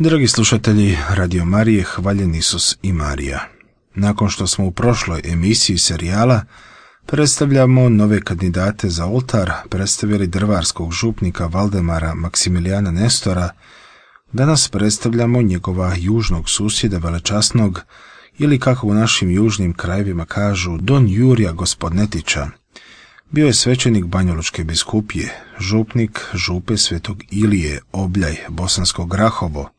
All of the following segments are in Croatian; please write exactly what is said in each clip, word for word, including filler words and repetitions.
Dragi slušatelji Radio Marije, hvaljen Isus i Marija. Nakon što smo u prošloj emisiji serijala predstavljamo nove kandidate za oltar, predstavili drvarskog župnika Valdemara Maksimilijana Nestora, danas predstavljamo njegova južnog susjeda velečasnog, ili kako u našim južnim krajevima kažu, Don Jurija Gospodnetića. Bio je svećenik Banjalučke biskupije, župnik župe Svetog Ilije, Obljaj, Bosansko Grahovo.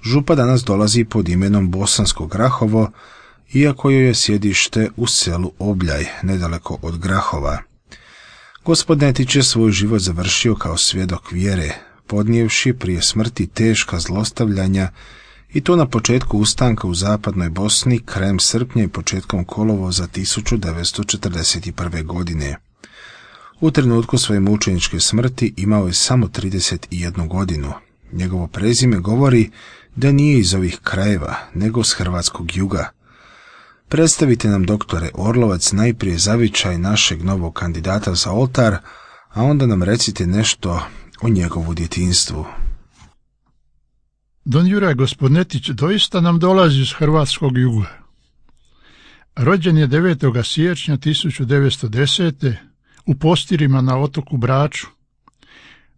Župa danas dolazi pod imenom Bosansko Grahovo, iako joj je sjedište u selu Obljaj, nedaleko od Grahova. Gospodnetić je svoj život završio kao svjedok vjere, podnijevši prije smrti teška zlostavljanja, i to na početku ustanka u zapadnoj Bosni krajem srpnja i početkom kolovoza tisuću devetsto četrdeset prve. godine. U trenutku svoje mučeničke smrti imao je samo trideset jednu godinu. Njegovo prezime govori da nije iz ovih krajeva, nego s hrvatskog juga. Predstavite nam, doktore Orlovac, najprije zavičaj našeg novog kandidata za oltar, a onda nam recite nešto o njegovu djetinjstvu. Don Juraj Gospodnetić doista nam dolazi iz hrvatskog juga. Rođen je devetog siječnja tisuću devetsto desete. u Postirima na otoku Braču,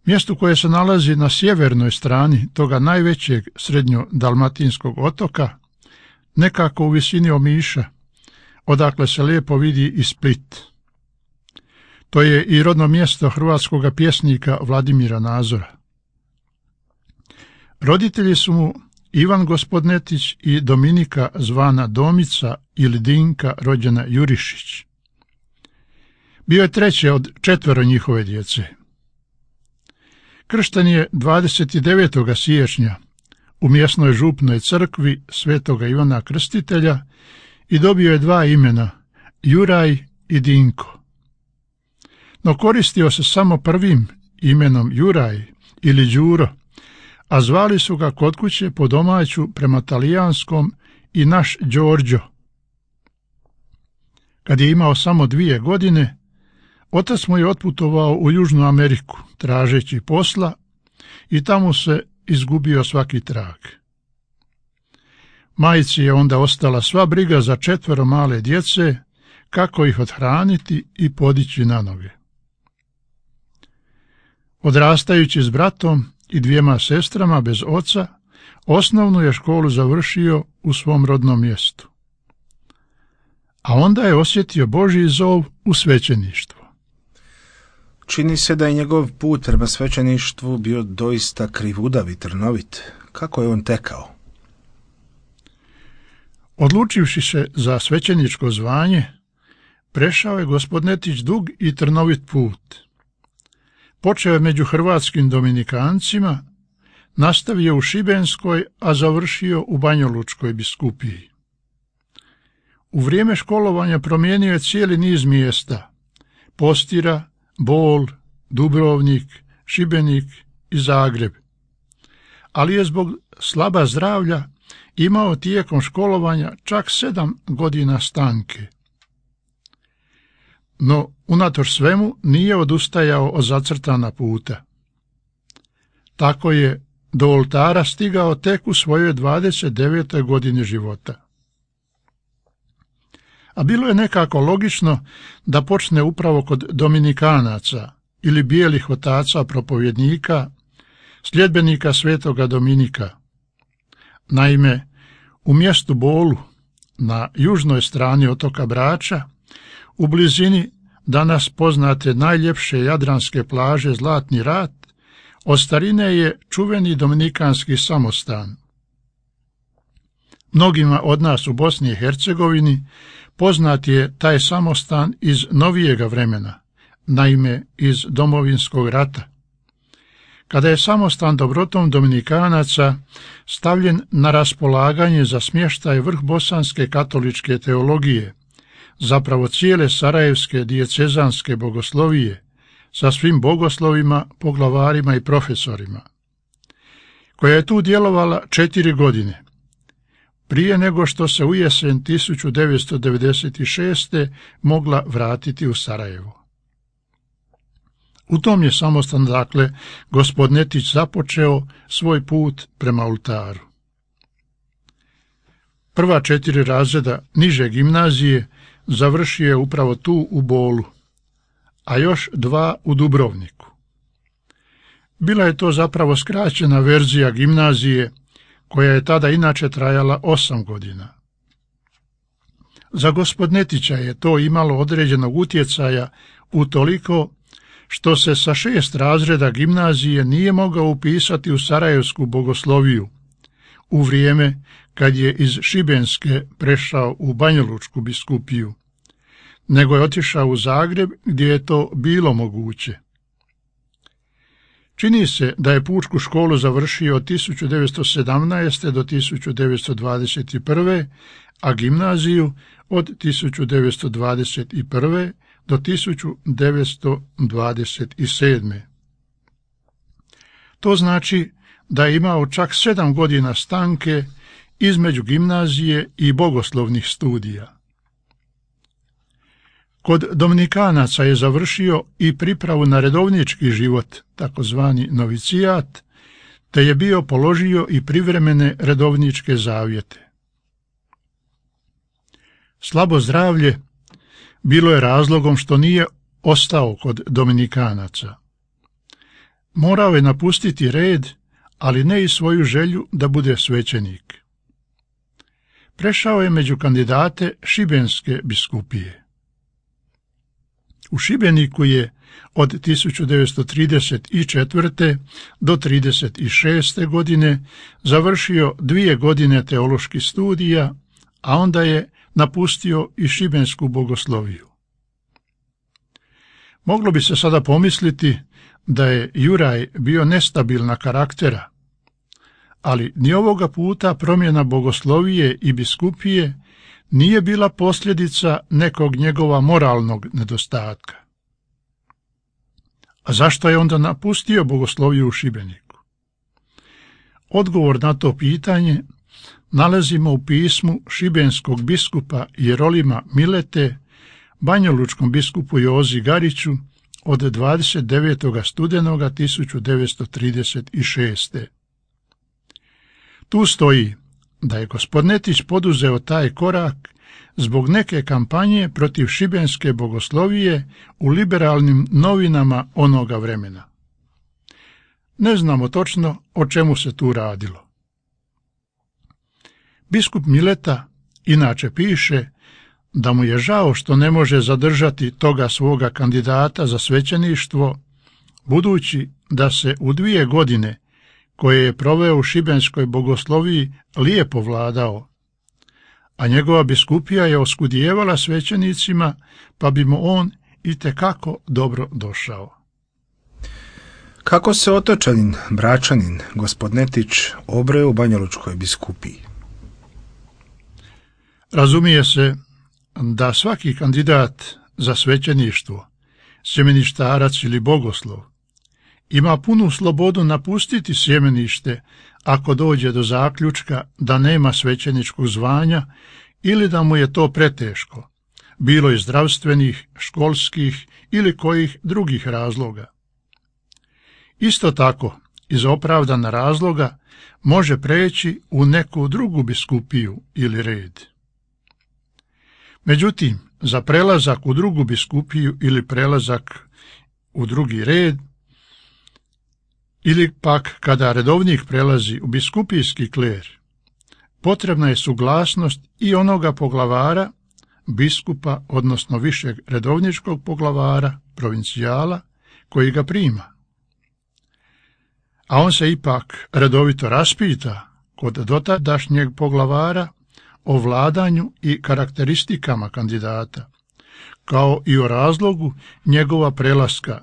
mjestu koje se nalazi na sjevernoj strani toga najvećeg srednjodalmatinskog otoka, nekako u visini Omiša, odakle se lijepo vidi i Split. To je i rodno mjesto hrvatskog pjesnika Vladimira Nazora. Roditelji su mu Ivan Gospodnetić i Dominika zvana Domica ili Dinka rođena Jurišić. Bio je treće od četvero njihove djece. Kršten je dvadeset devetog siječnja u mjesnoj župnoj crkvi svetoga Ivana Krstitelja i dobio je dva imena, Juraj i Dinko. No koristio se samo prvim imenom Juraj ili Đuro, a zvali su ga kod kuće po domaću prema talijanskom i naš Đorđo. Kad je imao samo dvije godine, otac mu je otputovao u Južnu Ameriku, tražeći posla, i tamo se izgubio svaki trag. Majci je onda ostala sva briga za četvero male djece, kako ih othraniti i podići na noge. Odrastajući s bratom i dvijema sestrama bez oca, osnovnu je školu završio u svom rodnom mjestu. A onda je osjetio Božji zov u svećeništvo. Čini se da je njegov put prema svećeništvu bio doista krivudav i trnovit. Kako je on tekao? Odlučivši se za svećeničko zvanje, prešao je Gospodnetić dug i trnovit put. Počeo je među hrvatskim dominikancima, nastavio u Šibenskoj, a završio u Banjalučkoj biskupiji. U vrijeme školovanja promijenio je cijeli niz mjesta: Postira, Bol, Dubrovnik, Šibenik i Zagreb. Ali je zbog slaba zdravlja imao tijekom školovanja čak sedam godina stanke. No, unatoč svemu, nije odustajao od zacrtana puta. Tako je do oltara stigao tek u svojoj dvadeset devetoj godini života. A bilo je nekako logično da počne upravo kod Dominikanaca ili bijelih otaca propovjednika, sljedbenika svetoga Dominika. Naime, u mjestu Bolu, na južnoj strani otoka Brača, u blizini danas poznate najljepše jadranske plaže Zlatni rat, od starine je čuveni dominikanski samostan. Mnogima od nas u Bosni i Hercegovini poznat je taj samostan iz novijega vremena, naime iz Domovinskog rata, kada je samostan dobrotom Dominikanaca stavljen na raspolaganje za smještaj vrh bosanske katoličke teologije, zapravo cijele sarajevske dijecezanske bogoslovije, sa svim bogoslovima, poglavarima i profesorima, koja je tu djelovala četiri godine, prije nego što se u jesen tisuću devetsto devedeset šeste. mogla vratiti u Sarajevo. U tom je samostan, dakle, gospod Netić započeo svoj put prema oltaru. Prva četiri razreda niže gimnazije završio je upravo tu u Bolu, a još dva u Dubrovniku. Bila je to zapravo skraćena verzija gimnazije, koja je tada inače trajala osam godina. Za gospod Netića je to imalo određenog utjecaja utoliko što se sa šest razreda gimnazije nije mogao upisati u Sarajevsku bogosloviju, u vrijeme kad je iz Šibenske prešao u Banjalučku biskupiju, nego je otišao u Zagreb gdje je to bilo moguće. Čini se da je pučku školu završio od tisuću devetsto sedamnaeste. do tisuću devetsto dvadeset prve. a gimnaziju od tisuću devetsto dvadeset prve. do tisuću devetsto dvadeset sedme. To znači da je imao čak sedam godina stanke između gimnazije i bogoslovnih studija. Kod Dominikanaca je završio i pripravu na redovnički život, takozvani novicijat, te je bio položio i privremene redovničke zavjete. Slabo zdravlje bilo je razlogom što nije ostao kod Dominikanaca. Morao je napustiti red, ali ne i svoju želju da bude svećenik. Prešao je među kandidate Šibenske biskupije. U Šibeniku je od tisuću devetsto trideset četvrte. do trideset šeste. godine završio dvije godine teoloških studija, a onda je napustio i Šibensku bogosloviju. Moglo bi se sada pomisliti da je Juraj bio nestabilna karaktera, ali ni ovoga puta promjena bogoslovije i biskupije nije bila posljedica nekog njegova moralnog nedostatka. A zašto je onda napustio bogosloviju u Šibeniku? Odgovor na to pitanje nalazimo u pismu šibenskog biskupa Jerolima Milete banjalučkom biskupu Jozi Gariću od dvadeset devetog studenoga tisuću devetsto trideset šeste. Tu stoji da je gospod Netić poduzeo taj korak zbog neke kampanje protiv šibenske bogoslovije u liberalnim novinama onoga vremena. Ne znamo točno o čemu se tu radilo. Biskup Mileta inače piše da mu je žao što ne može zadržati toga svoga kandidata za svećeništvo, budući da se u dvije godine koje je proveo u šibenskoj bogosloviji lijepo vladao, a njegova biskupija je oskudijevala svećenicima, pa bi mu on itekako dobro došao. Kako se otočanin, bračanin, gospod Netić obreo u Banjalučkoj biskupiji? Razumije se da svaki kandidat za svećeništvo, sjemeništarac ili bogoslov, ima punu slobodu napustiti sjemenište ako dođe do zaključka da nema svećeničkog zvanja ili da mu je to preteško, bilo iz zdravstvenih, školskih ili kojih drugih razloga. Isto tako, iz opravdana razloga, može preći u neku drugu biskupiju ili red. Međutim, za prelazak u drugu biskupiju ili prelazak u drugi red, ili pak kada redovnik prelazi u biskupijski kler, potrebna je suglasnost i onoga poglavara, biskupa, odnosno višeg redovničkog poglavara, provincijala, koji ga prima. A on se ipak redovito raspita kod dotadašnjeg poglavara o vladanju i karakteristikama kandidata, kao i o razlogu njegova prelaska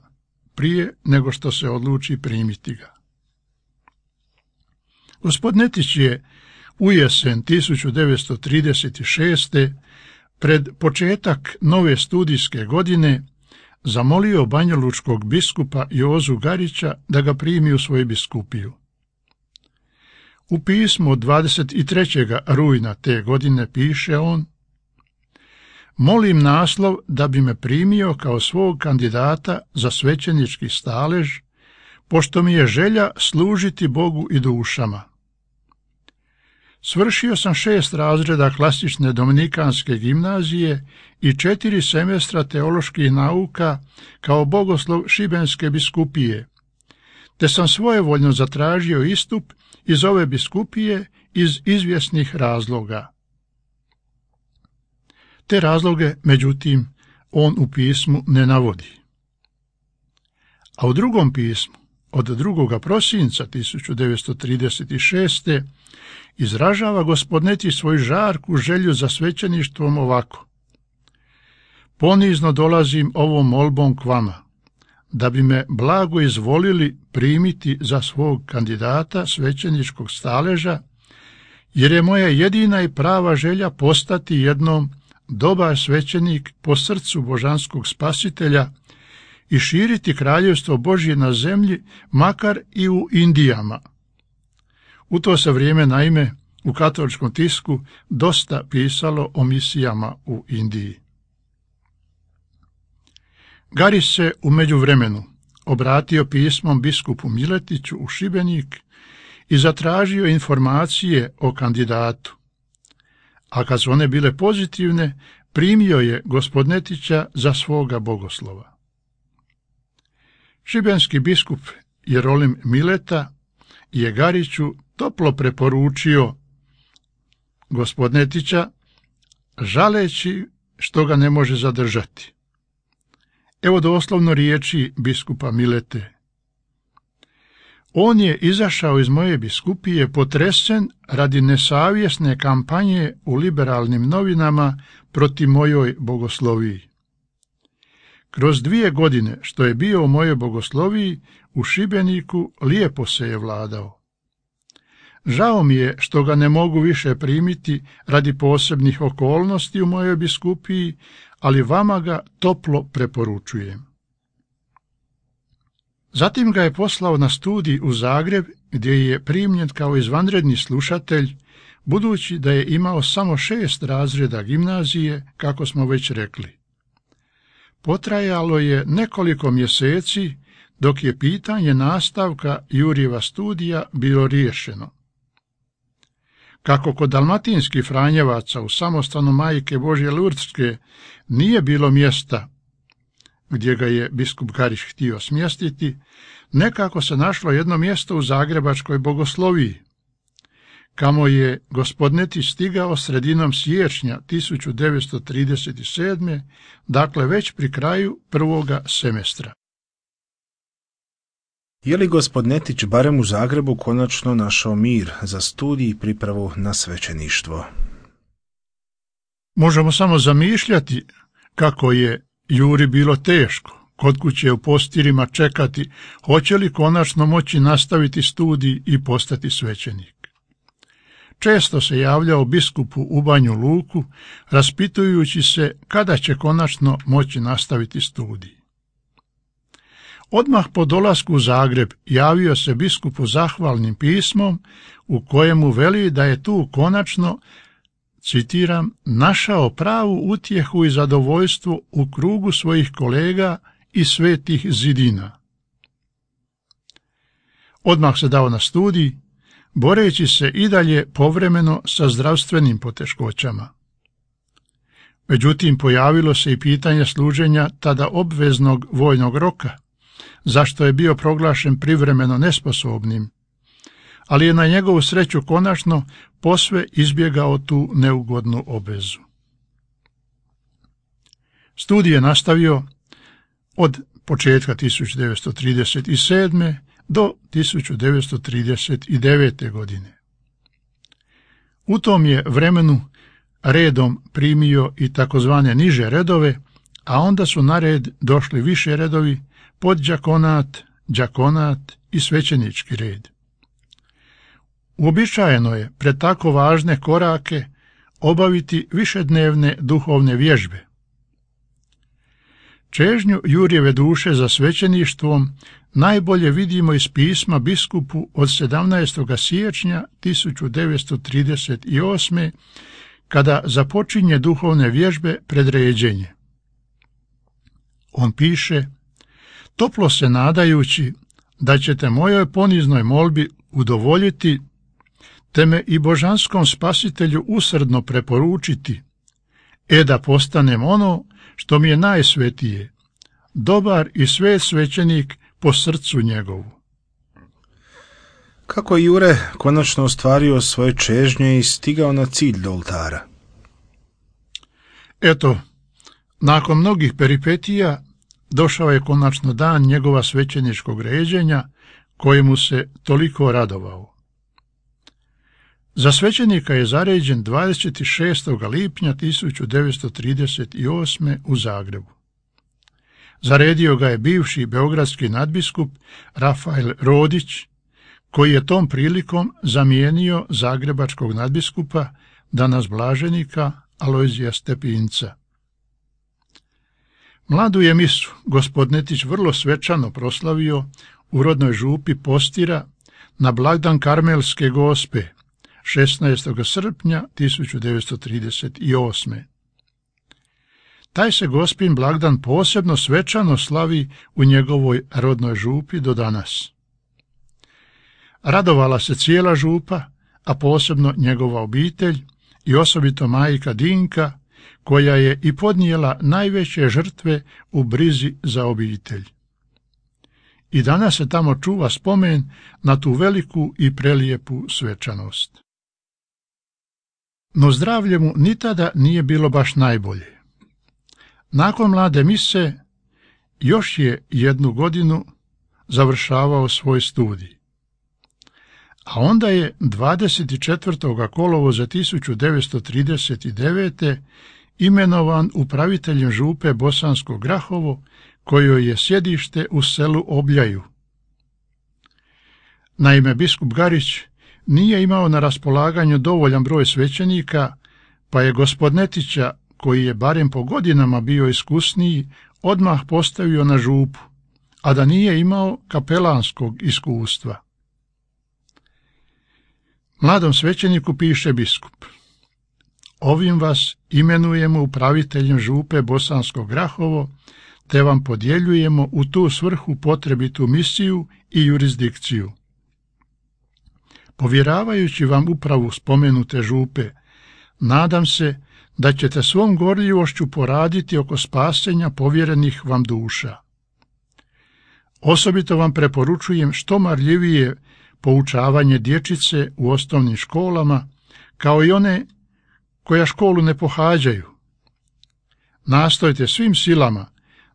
prije nego što se odluči primiti ga. Gospod Netić je u jesen tisuću devetsto trideset šeste. pred početak nove studijske godine zamolio banjalučkog biskupa Jozu Garića da ga primi u svoju biskupiju. U pismu od dvadeset trećeg rujna te godine piše on: molim naslov da bi me primio kao svog kandidata za svećenički stalež, pošto mi je želja služiti Bogu i dušama. Svršio sam šest razreda klasične dominikanske gimnazije i četiri semestra teoloških nauka kao bogoslov Šibenske biskupije, te sam svojevoljno zatražio istup iz ove biskupije iz izvjesnih razloga. Te razloge, međutim, on u pismu ne navodi. A u drugom pismu, od drugog prosinca tisuću devetsto trideset šeste. izražava gospodneti svoju žarku želju za svećeništvom ovako: ponizno dolazim ovom molbom k vama, da bi me blago izvolili primiti za svog kandidata svećeničkog staleža, jer je moja jedina i prava želja postati jednom dobar svećenik po srcu božanskog spasitelja i širiti kraljevstvo Božje na zemlji, makar i u Indijama. U to se vrijeme, naime, u katoličkom tisku dosta pisalo o misijama u Indiji. Garis se u međuvremenu obratio pismom biskupu Miletiću u Šibenik i zatražio informacije o kandidatu, a kad su one bile pozitivne, primio je gospodnetića za svoga bogoslova. Šibenski biskup Jerolim Mileta je Gariću toplo preporučio gospodnetića, žaleći što ga ne može zadržati. Evo doslovno riječi biskupa Milete: on je izašao iz moje biskupije potresen radi nesavjesne kampanje u liberalnim novinama protiv mojoj bogosloviji. Kroz dvije godine što je bio u mojoj bogosloviji u Šibeniku lijepo se je vladao. Žao mi je što ga ne mogu više primiti radi posebnih okolnosti u mojoj biskupiji, ali vama ga toplo preporučujem. Zatim ga je poslao na studij u Zagreb, gdje je primljen kao izvanredni slušatelj, budući da je imao samo šest razreda gimnazije, kako smo već rekli. Potrajalo je nekoliko mjeseci, dok je pitanje nastavka Jurijeva studija bilo riješeno. Kako kod dalmatinskih Franjevaca u samostanu Majke Božje Lurdske nije bilo mjesta gdje ga je biskup Garić htio smjestiti, nekako se našlo jedno mjesto u Zagrebačkoj bogosloviji, kamo je gospodnetić stigao sredinom siječnja tisuću devetsto trideset sedme. dakle već pri kraju prvoga semestra. Je li gospodnetić barem u Zagrebu konačno našao mir za studij i pripravu na svećeništvo? Možemo samo zamišljati kako je Juri bilo teško kod kuće u postirima čekati hoće li konačno moći nastaviti studij i postati svećenik. Često se javljao biskupu u Banju Luku, raspitujući se kada će konačno moći nastaviti studij. Odmah po dolasku u Zagreb javio se biskupu zahvalnim pismom u kojemu veli da je tu konačno, citiram, našao pravu utjehu i zadovoljstvo u krugu svojih kolega i svetih zidina. Odmah se dao na studij, boreći se i dalje povremeno sa zdravstvenim poteškoćama. Međutim, pojavilo se i pitanje služenja tada obveznog vojnog roka, zašto je bio proglašen privremeno nesposobnim, ali je na njegovu sreću konačno posve izbjegao tu neugodnu obvezu. Studij je nastavio od početka tisuću devetsto trideset sedme. do tisuću devetsto trideset devete. godine. U tom je vremenu redom primio i takozvane niže redove, a onda su na red došli više redovi, podđakonat, đakonat i svećenički red. Uobičajeno je pred tako važne korake obaviti višednevne duhovne vježbe. Čežnju Jurijeve duše za svećeništvom najbolje vidimo iz pisma biskupu od sedamnaestog siječnja tisuću devetsto trideset osme. kada započinje duhovne vježbe pred ređenje. On piše: toplo se nadajući da ćete mojoj poniznoj molbi udovoljiti, te me i božanskom spasitelju usrdno preporučiti, e da postanem ono što mi je najsvetije, dobar i svet svećenik po srcu njegovu. Kako je Jure konačno ostvario svoje čežnje i stigao na cilj do oltara? Eto, nakon mnogih peripetija došao je konačno dan njegova svećeničkog ređenja, kojemu se toliko radovao. Za svećenika je zaređen dvadeset šestog lipnja tisuću devetsto trideset osme. u Zagrebu. Zaredio ga je bivši beogradski nadbiskup Rafael Rodić, koji je tom prilikom zamijenio zagrebačkog nadbiskupa, danas blaženika Alojzija Stepinca. Mladu je misu gospod Netić vrlo svečano proslavio u rodnoj župi Postira na blagdan Karmelske Gospe, šesnaestog srpnja tisuću devetsto trideset osme. Taj se gospin blagdan posebno svečano slavi u njegovoj rodnoj župi do danas. Radovala se cijela župa, a posebno njegova obitelj i osobito majka Dinka, koja je i podnijela najveće žrtve u brizi za obitelj. I danas se tamo čuva spomen na tu veliku i prelijepu svečanost. No zdravlje mu ni tada nije bilo baš najbolje. Nakon mlade mise još je jednu godinu završavao svoj studij. A onda je dvadeset četvrtog kolovoza tisuću devetsto trideset devete. imenovan upraviteljem župe Bosansko Grahovo, kojoj je sjedište u selu Obljaju. Naime, biskup Garić nije imao na raspolaganju dovoljan broj svećenika, pa je gospod Netića, koji je barem po godinama bio iskusniji, odmah postavio na župu, a da nije imao kapelanskog iskustva. Mladom svećeniku piše biskup: ovim vas imenujemo upraviteljem župe Bosansko Grahovo, te vam podjeljujemo u tu svrhu potrebitu misiju i jurisdikciju. Povjeravajući vam upravu spomenute župe, nadam se da ćete svom gorljivošću poraditi oko spasenja povjerenih vam duša. Osobito vam preporučujem što marljivije poučavanje dječice u osnovnim školama, kao i one koja školu ne pohađaju. Nastojte svim silama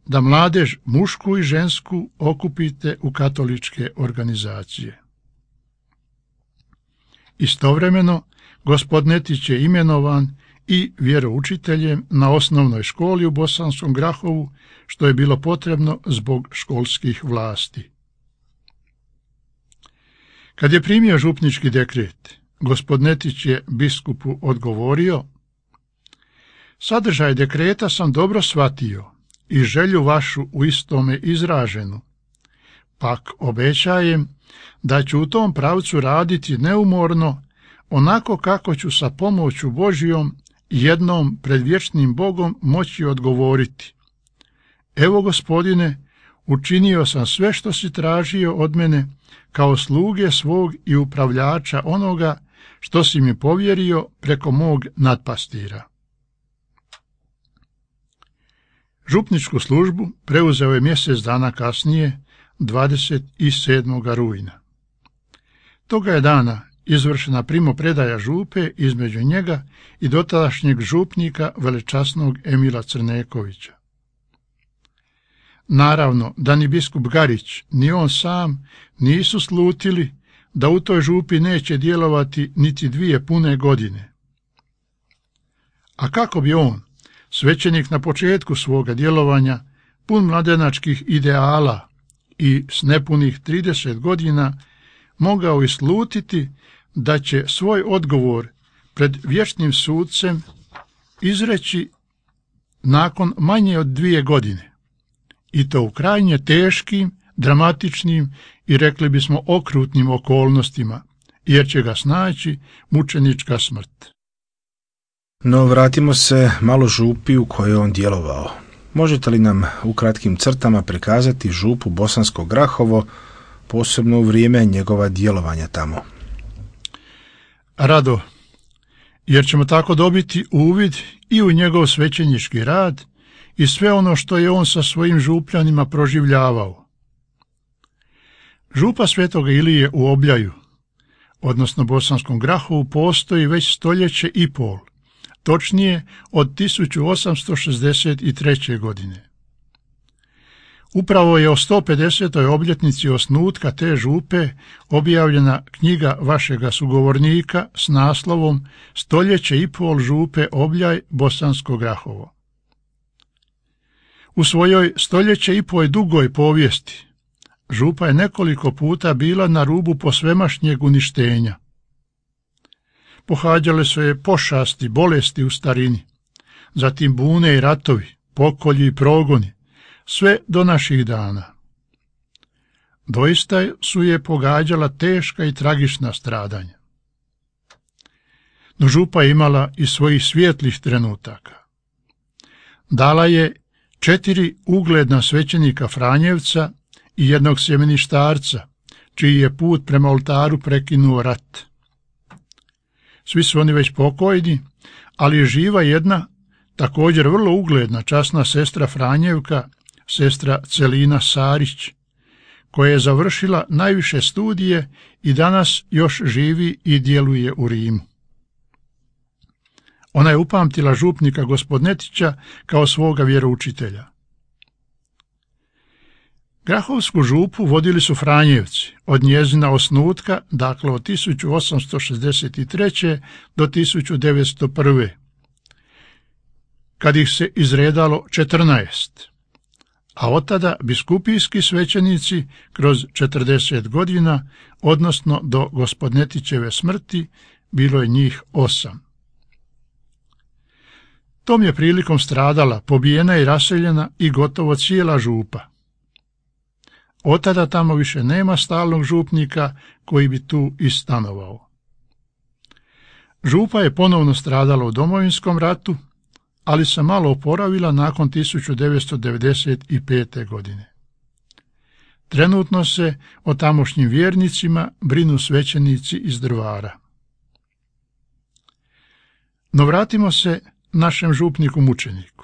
da mladež mušku i žensku okupite u katoličke organizacije. Istovremeno, gospod Netić je imenovan i vjeroučiteljem na osnovnoj školi u Bosanskom Grahovu, što je bilo potrebno zbog školskih vlasti. Kad je primio župnički dekret, gospod Netić je biskupu odgovorio: sadržaj dekreta sam dobro shvatio i želju vašu u istome izraženu, pak obećajem da ću u tom pravcu raditi neumorno, onako kako ću sa pomoću Božijom jednom pred vječnim Bogom moći odgovoriti: evo, gospodine, učinio sam sve što si tražio od mene kao sluge svog i upravljača onoga što si mi povjerio preko mog nadpastira. Župničku službu preuzeo je mjesec dana kasnije, dvadeset sedmog rujna. Toga je dana izvršena primopredaja župe između njega i dotadašnjeg župnika velečasnog Emila Crnekovića. Naravno da ni biskup Garić, ni on sam nisu slutili da u toj župi neće djelovati niti dvije pune godine. A kako bi on, svećenik na početku svoga djelovanja, pun mladenačkih ideala i s nepunih trideset godina, mogao islutiti da će svoj odgovor pred vječnim sudcem izreći nakon manje od dvije godine, i to u krajnje teškim, dramatičnim i rekli bismo okrutnim okolnostima, jer će ga snaći mučenička smrt. No vratimo se malo župi u kojoj je on djelovao. Možete li nam u kratkim crtama prikazati župu Bosansko Grahovo, posebno u vrijeme njegova djelovanja tamo? Rado, jer ćemo tako dobiti uvid i u njegov svećenički rad i sve ono što je on sa svojim župljanima proživljavao. Župa Svetoga Ilije u Obljaju, odnosno Bosanskom Grahovu, postoji već stoljeće i pol, točnije od tisuću osamsto šezdeset treće. godine. Upravo je o sto pedesetoj obljetnici osnutka te župe objavljena knjiga vašega sugovornika s naslovom Stoljeće i pol župe Obljaj Bosansko Grahovo. U svojoj stoljeće i pol dugoj povijesti župa je nekoliko puta bila na rubu posvemašnjeg uništenja. Pohađale su je pošasti, bolesti u starini, zatim bune i ratovi, pokolji i progoni, sve do naših dana. Doista su je pogađala teška i tragična stradanja. No župa je imala i svojih svijetlih trenutaka. Dala je četiri ugledna svećenika Franjevca i jednog sjemeništarca, čiji je put prema oltaru prekinuo rat. Svi su oni već pokojni, ali je živa jedna, također vrlo ugledna, časna sestra Franjevka, sestra Celina Sarić, koja je završila najviše studije i danas još živi i djeluje u Rimu. Ona je upamtila župnika Gospodnetića kao svoga vjeroučitelja. Grahovsku župu vodili su Franjevci od njezina osnutka, dakle od tisuću osamsto šezdeset treće. do tisuću devetsto prve. kad ih se izredalo četrnaest, a od tada biskupijski svećenici kroz četrdeset godina, odnosno do Gospodnetićeve smrti, bilo je njih osam. Tom je prilikom stradala, pobijena i raseljena i gotovo cijela župa. Od tada tamo više nema stalnog župnika koji bi tu i stanovao. Župa je ponovno stradala u Domovinskom ratu, ali se malo oporavila nakon tisuću devetsto devedeset pete. godine. Trenutno se o tamošnjim vjernicima brinu svećenici iz Drvara. No vratimo se našem župniku mučeniku.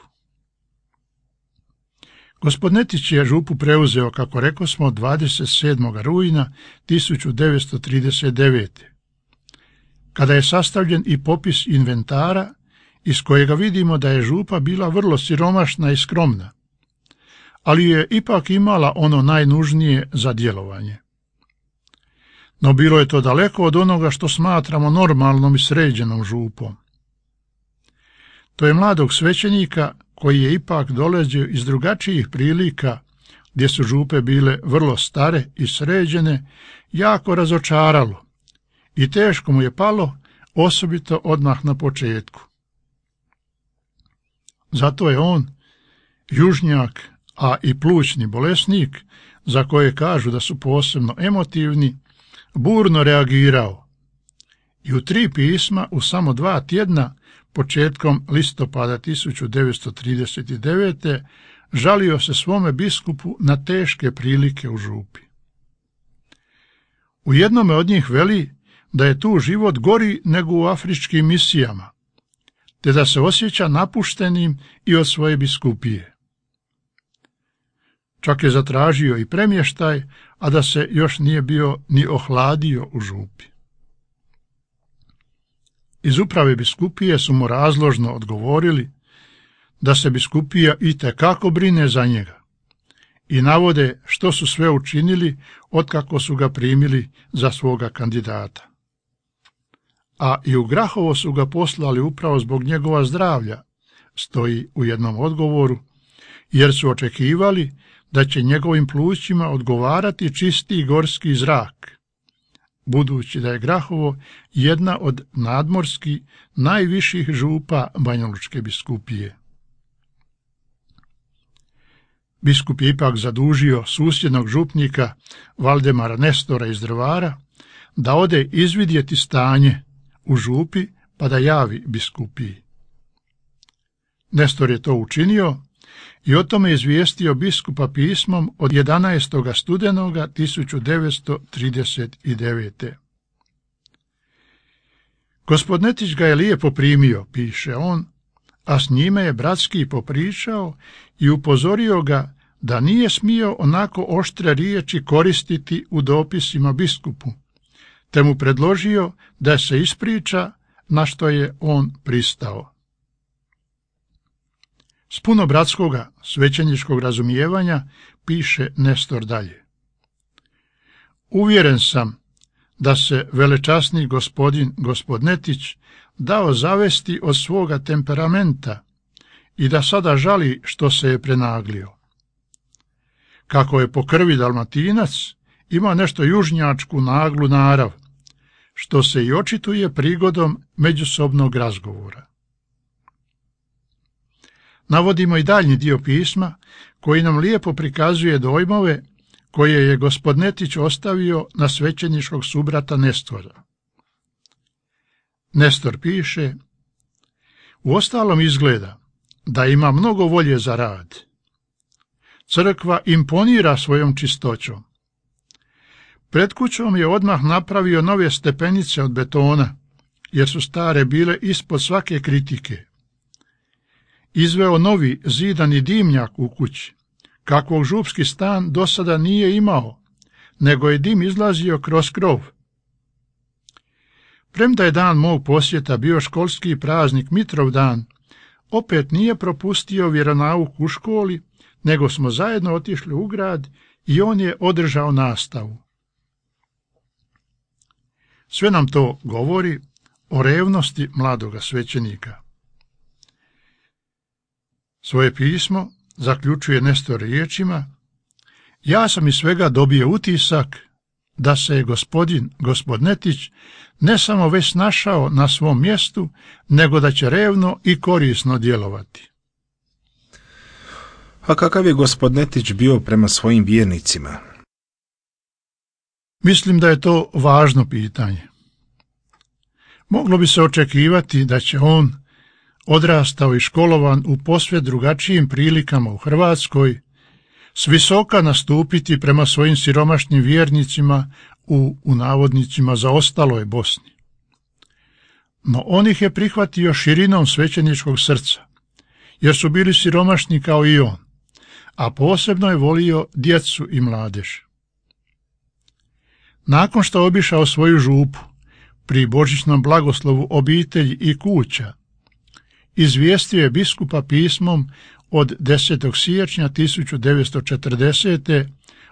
Gospodnetić je župu preuzeo, kako rekosmo, dvadeset sedmog rujna tisuću devetsto trideset devete. kada je sastavljen i popis inventara, iz kojega vidimo da je župa bila vrlo siromašna i skromna, ali je ipak imala ono najnužnije za djelovanje. No bilo je to daleko od onoga što smatramo normalnom i sređenom župom. To je mladog svećenika koji je ipak dolazio iz drugačijih prilika, gdje su župe bile vrlo stare i sređene, jako razočaralo i teško mu je palo, osobito odmah na početku. Zato je on, južnjak, a i plućni bolesnik, za koje kažu da su posebno emotivni, burno reagirao i u tri pisma u samo dva tjedna, početkom listopada tisuću devetsto trideset devete. žalio se svome biskupu na teške prilike u župi. U jednome od njih veli da je tu život gori nego u afričkim misijama, te da se osjeća napuštenim i od svoje biskupije. Čak je zatražio i premještaj, a da se još nije bio ni ohladio u župi. Iz uprave biskupije su mu razložno odgovorili da se biskupija itekako brine za njega i navode što su sve učinili otkako su ga primili za svoga kandidata. A i u Grahovo su ga poslali upravo zbog njegova zdravlja, stoji u jednom odgovoru, jer su očekivali da će njegovim plućima odgovarati čisti gorski zrak, budući da je Grahovo jedna od nadmorskih najviših župa Banjalučke biskupije. Biskup je ipak zadužio susjednog župnika Valdemara Nestora iz Drvara da ode izvidjeti stanje u župi pa da javi biskupiji. Nestor je to učinio i o tome izvijestio biskupa pismom od jedanaestog studenoga tisuću devetsto trideset devete. Gospod Netić ga je lijepo primio, piše on, a s njime je bratski popričao i upozorio ga da nije smio onako oštre riječi koristiti u dopisima biskupu, te mu predložio da se ispriča, na što je on pristao. S puno bratskoga svećeničkog razumijevanja piše Nestor dalje. Uvjeren sam da se velečasni gospodin gospod Netić dao zavesti od svoga temperamenta i da sada žali što se je prenaglio. Kako je po krvi Dalmatinac, ima nešto južnjačku naglu narav, što se i očituje prigodom međusobnog razgovora. Navodimo i daljnji dio pisma, koji nam lijepo prikazuje dojmove koje je gospod Netić ostavio na svećeničkog subrata Nestora. Nestor piše, uostalom izgleda da ima mnogo volje za rad. Crkva imponira svojom čistoćom. Pred kućom je odmah napravio nove stepenice od betona, jer su stare bile ispod svake kritike. Izveo novi zidani dimnjak u kući, kakvog župski stan do sada nije imao, nego je dim izlazio kroz krov. Premda je dan mog posjeta bio školski praznik Mitrovdan, opet nije propustio vjeronauk u školi, nego smo zajedno otišli u grad i on je održao nastavu. Sve nam to govori o revnosti mladoga svećenika. Svoje pismo zaključuje Nestor riječima, ja sam iz svega dobio utisak da se je gospodin gospod Netić ne samo već našao na svom mjestu, nego da će revno i korisno djelovati. A kakav je gospod Netić bio prema svojim vjernicima? Mislim da je to važno pitanje. Moglo bi se očekivati da će on, odrastao i školovan u posve drugačijim prilikama u Hrvatskoj, s visoka nastupiti prema svojim siromašnim vjernicima u, u navodnicima, zaostaloj Bosni. No on ih je prihvatio širinom svećeničkog srca, jer su bili siromašni kao i on, a posebno je volio djecu i mladež. Nakon što obišao svoju župu, pri božićnom blagoslovu obitelji i kuća, izvijestio je biskupa pismom od desetog siječnja tisuću devetsto četrdesete.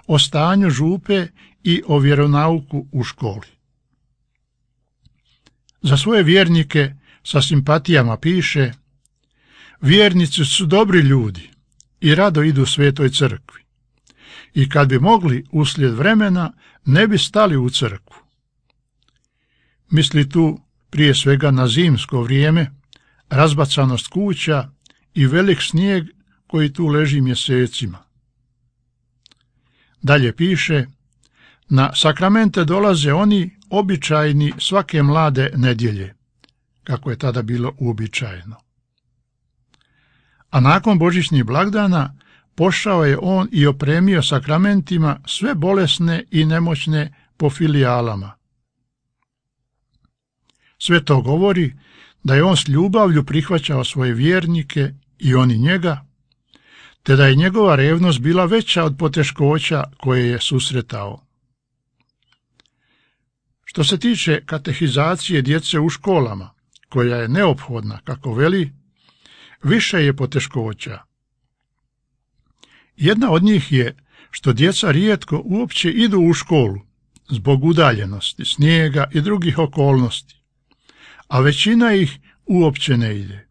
o stanju župe i o vjeronauku u školi. Za svoje vjernike sa simpatijama piše, vjernici su dobri ljudi i rado idu svetoj crkvi. I kad bi mogli uslijed vremena, ne bi stali u crkvu. Misli tu prije svega na zimsko vrijeme, razbacanost kuća i velik snijeg koji tu leži mjesecima. Dalje piše, na sakramente dolaze oni običajni svake mlade nedjelje, kako je tada bilo uobičajeno. A nakon božićnih blagdana pošao je on i opremio sakramentima sve bolesne i nemoćne po filijalama. Sve to govori da je on s ljubavlju prihvaćao svoje vjernike i oni njega, te da je njegova revnost bila veća od poteškoća koje je susretao. Što se tiče katehizacije djece u školama, koja je neophodna, kako veli, više je poteškoća. Jedna od njih je što djeca rijetko uopće idu u školu, zbog udaljenosti, snijega i drugih okolnosti, a većina ih uopće ne ide.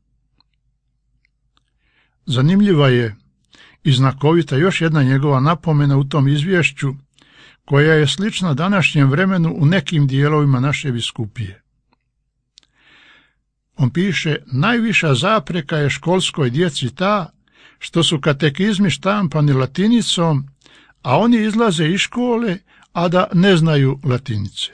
Zanimljiva je i znakovita još jedna njegova napomena u tom izvješću, koja je slična današnjem vremenu u nekim dijelovima naše biskupije. On piše, najviša zapreka je školskoj djeci ta što su katekizmi štampani latinicom, a oni izlaze iz škole, a da ne znaju latinice.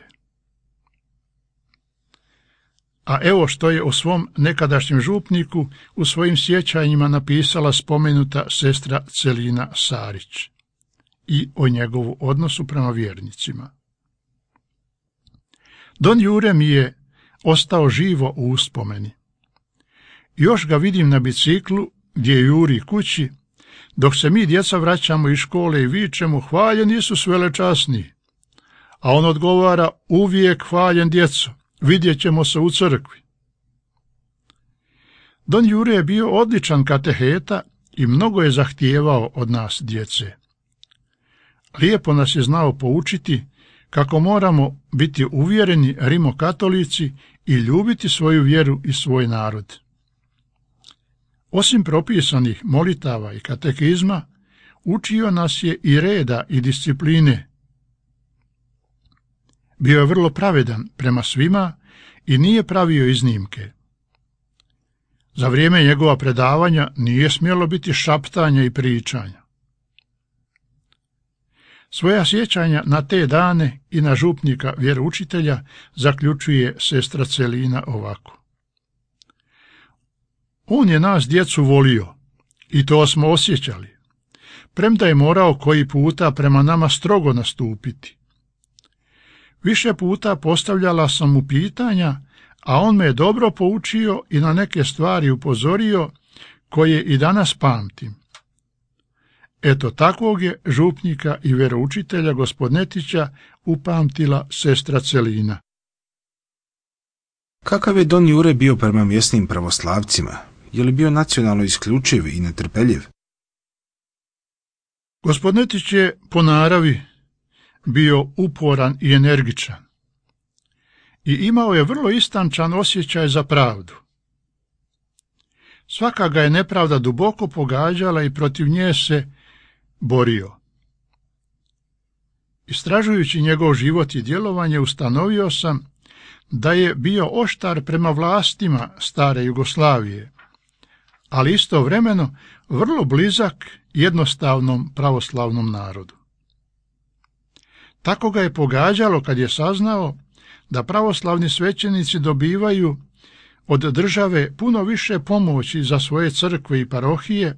a evo što je o svom nekadašnjem župniku u svojim sjećanjima napisala spomenuta sestra Celina Sarić i o njegovu odnosu prema vjernicima. Don Jure mi je ostao živo u uspomeni. Još ga vidim na biciklu gdje juri kući, dok se mi djeca vraćamo iz škole i vičemo hvaljen Isus velečasni, a on odgovara uvijek hvaljen djeco, vidjet ćemo se u crkvi. Don Jure je bio odličan kateheta i mnogo je zahtijevao od nas djece. Lijepo nas je znao poučiti kako moramo biti uvjereni rimokatolici i ljubiti svoju vjeru i svoj narod. Osim propisanih molitava i katekizma, učio nas je i reda i discipline. Bio je vrlo pravedan prema svima i nije pravio iznimke. Za vrijeme njegova predavanja nije smjelo biti šaptanja i pričanja. Svoja sjećanja na te dane i na župnika vjeroučitelja zaključuje sestra Celina ovako. On je nas djecu volio i to smo osjećali, premda je morao koji puta prema nama strogo nastupiti. Više puta postavljala sam mu pitanja, a on me je dobro poučio i na neke stvari upozorio koje i danas pamtim. Eto takvog je župnika i vjeroučitelja Gospodnetića upamtila sestra Celina. Kakav je Don Jure bio prema mjesnim pravoslavcima? Je li bio nacionalno isključiv i netrpeljiv? Gospodnetić je po naravi bio uporan i energičan i imao je vrlo istančan osjećaj za pravdu. Svaka ga je nepravda duboko pogađala i protiv nje se borio. Istražujući njegov život i djelovanje, ustanovio sam da je bio oštar prema vlastima stare Jugoslavije, ali istovremeno vrlo blizak jednostavnom pravoslavnom narodu. Tako ga je pogađalo kad je saznao da pravoslavni svećenici dobivaju od države puno više pomoći za svoje crkve i parohije,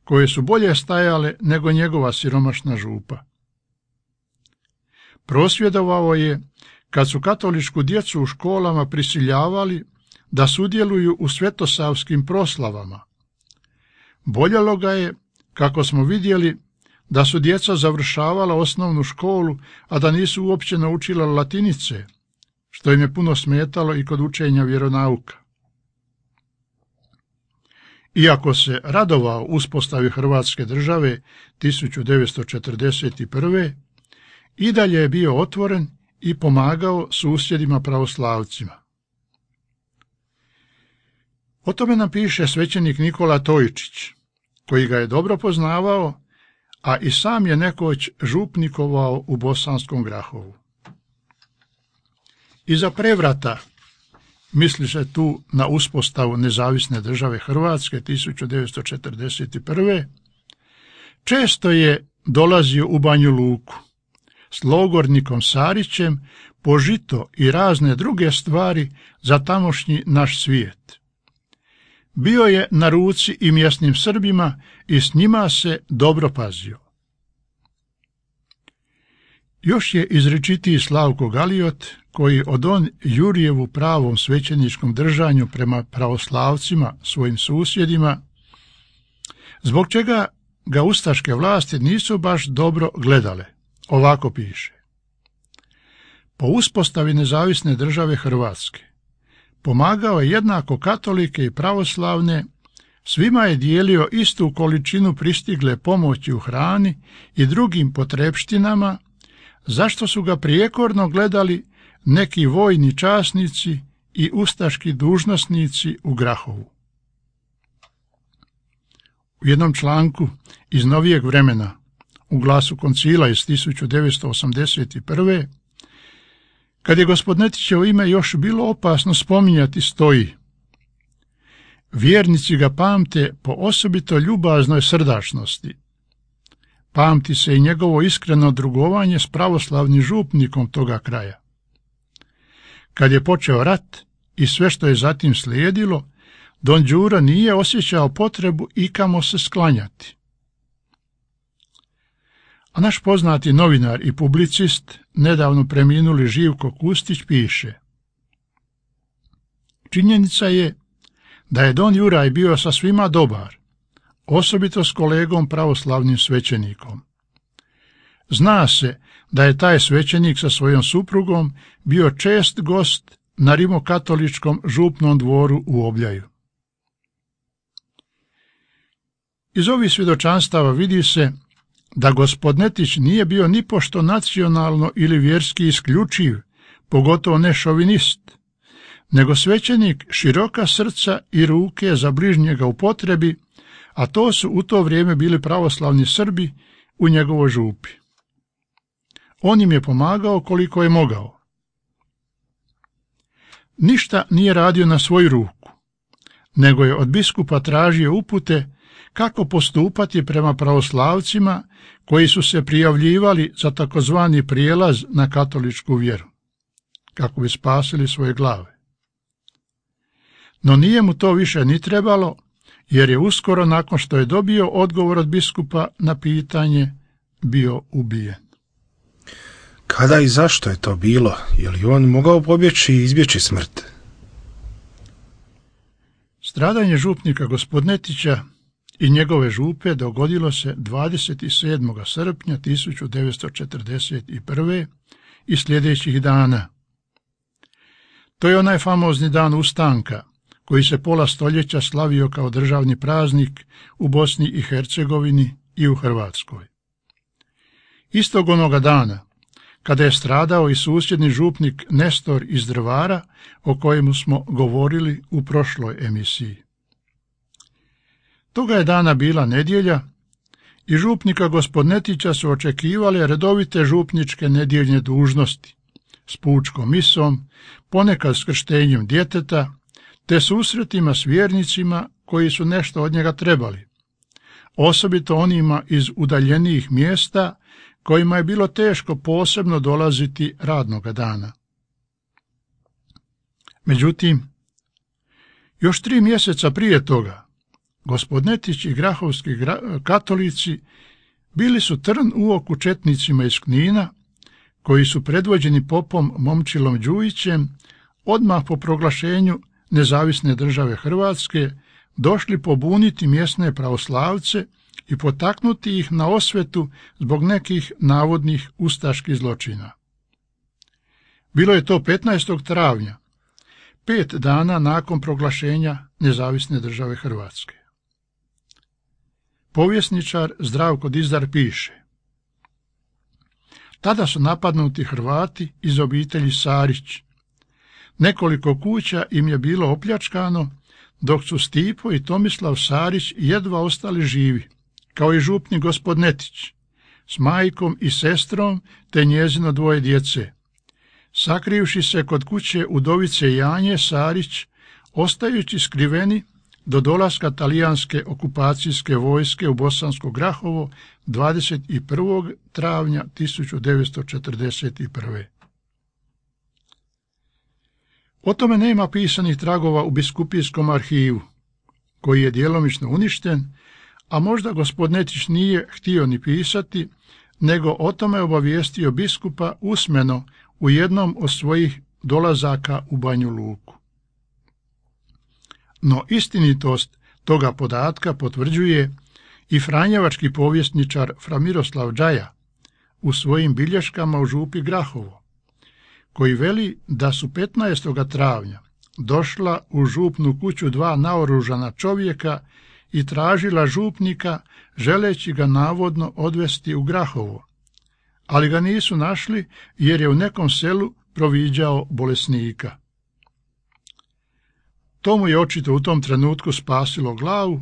koje su bolje stajale nego njegova siromašna župa. Prosvjedovao je kad su katoličku djecu u školama prisiljavali da sudjeluju u svetosavskim proslavama. Boljelo ga je, kako smo vidjeli, da su djeca završavala osnovnu školu, a da nisu uopće naučila latinice, što im je puno smetalo i kod učenja vjeronauka. Iako se radovao uspostavi Hrvatske države tisuću devetsto četrdeset prve. i dalje je bio otvoren i pomagao susjedima pravoslavcima. O tome nam piše svećenik Nikola Tojčić, koji ga je dobro poznavao, a i sam je nekoć župnikovao u Bosanskom Grahovu. Iza prevrata, misli se tu na uspostavu nezavisne države Hrvatske tisuću devetsto četrdeset prve. često je dolazio u Banju Luku s logornikom Sarićem po žito i razne druge stvari za tamošnji naš svijet. Bio je na ruci i mjesnim Srbima i s njima se dobro pazio. Još je izričitiji Slavko Galiot, koji o Don Jurijevu pravom svećeničkom držanju prema pravoslavcima, svojim susjedima, zbog čega ga ustaške vlasti nisu baš dobro gledale. Ovako piše. Po uspostavi nezavisne države Hrvatske pomagao je jednako katolike i pravoslavne, svima je dijelio istu količinu pristigle pomoći u hrani i drugim potrepštinama, zašto su ga prijekorno gledali neki vojni časnici i ustaški dužnosnici u Grahovu. U jednom članku iz novijeg vremena, u Glasu koncila iz tisuću devetsto osamdeset prve. kad je Gospodnetićevo ime još bilo opasno spominjati, stoji: vjernici ga pamte po osobito ljubaznoj srdačnosti. Pamti se i njegovo iskreno drugovanje s pravoslavnim župnikom toga kraja. Kad je počeo rat, i sve što je zatim slijedilo, don Đuro nije osjećao potrebu ikamo se sklanjati. A naš poznati novinar i publicist, nedavno preminuli Živko Kustić, piše: činjenica je da je don Juraj bio sa svima dobar, osobito s kolegom pravoslavnim svećenikom. Zna se da je taj svećenik sa svojom suprugom bio čest gost na rimokatoličkom župnom dvoru u Obljaju. Iz ovih svjedočanstava vidi se da gospod Netić nije bio nipošto nacionalno ili vjerski isključiv, pogotovo ne šovinist, nego svećenik široka srca i ruke za bližnjega u potrebi, a to su u to vrijeme bili pravoslavni Srbi u njegovoj župi. On im je pomagao koliko je mogao. Ništa nije radio na svoju ruku, nego je od biskupa tražio upute kako postupati prema pravoslavcima koji su se prijavljivali za takozvani prijelaz na katoličku vjeru, kako bi spasili svoje glave. No nije mu to više ni trebalo, jer je uskoro nakon što je dobio odgovor od biskupa na pitanje bio ubijen. Kada i zašto je to bilo? Je li on mogao pobjeći i izbjeći smrt? Stradanje župnika gospod Netića i njegove župe dogodilo se dvadeset sedmog srpnja tisuću devetsto četrdeset prve i sljedećih dana. To je onaj famozni dan ustanka, koji se pola stoljeća slavio kao državni praznik u Bosni i Hercegovini i u Hrvatskoj. Istog onoga dana, kada je stradao i susjedni župnik Nestor iz Drvara, o kojemu smo govorili u prošloj emisiji. Toga je dana bila nedjelja i župnika gospod Netića su očekivale redovite župničke nedjeljne dužnosti s pučkom misom, ponekad s krštenjem djeteta, te susretima s vjernicima koji su nešto od njega trebali, osobito onima iz udaljenijih mjesta kojima je bilo teško posebno dolaziti radnoga dana. Međutim, još tri mjeseca prije toga, gospod Netić i grahovski gra- katolici bili su trn u oku četnicima iz Knina, koji su predvođeni popom Momčilom Đujićem odmah po proglašenju nezavisne države Hrvatske došli pobuniti mjesne pravoslavce i potaknuti ih na osvetu zbog nekih navodnih ustaških zločina. Bilo je to petnaestog travnja, pet dana nakon proglašenja nezavisne države Hrvatske. Povjesničar Zdravko Dizdar piše: tada su napadnuti Hrvati iz obitelji Sarić. Nekoliko kuća im je bilo opljačkano, dok su Stipo i Tomislav Sarić jedva ostali živi, kao i župnik gospod Netić, s majkom i sestrom te njezino dvoje djece, sakrivši se kod kuće udovice Janje Sarić, ostajući skriveni do dolaska talijanske okupacijske vojske u Bosansko Grahovo dvadeset prvog travnja tisuću devetsto četrdeset prve. O tome nema pisanih tragova u biskupijskom arhivu, koji je djelomično uništen, a možda gospod Netić nije htio ni pisati, nego o tome obavijestio biskupa usmeno u jednom od svojih dolazaka u Banju Luku. No istinitost toga podatka potvrđuje i franjevački povjesničar Fra Miroslav Džaja u svojim bilješkama u župi Grahovo, koji veli da su petnaestog travnja došla u župnu kuću dva naoružana čovjeka i tražila župnika, želeći ga navodno odvesti u Grahovo, ali ga nisu našli jer je u nekom selu proviđao bolesnika. To mu je očito u tom trenutku spasilo glavu,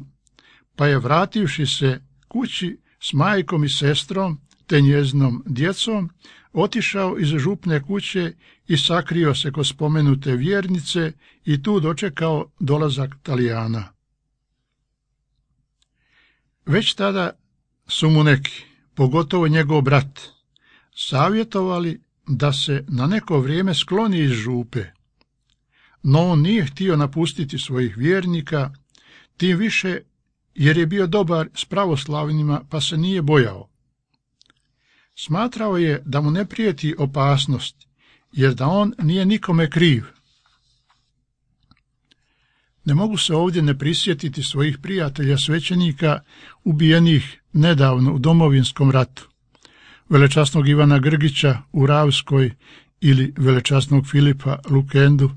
pa je, vrativši se kući s majkom i sestrom te njezinom djecom, otišao iz župne kuće i sakrio se kod spomenute vjernice i tu dočekao dolazak Talijana. Već tada su mu neki, pogotovo njegov brat, savjetovali da se na neko vrijeme skloni iz župe. no on nije htio napustiti svojih vjernika, tim više jer je bio dobar s pravoslavnima pa se nije bojao. Smatrao je da mu ne prijeti opasnost, jer da on nije nikome kriv. Ne mogu se ovdje ne prisjetiti svojih prijatelja svećenika ubijenih nedavno u Domovinskom ratu, velečasnog Ivana Grgića u Ravskoj ili velečasnog Filipa Lukendu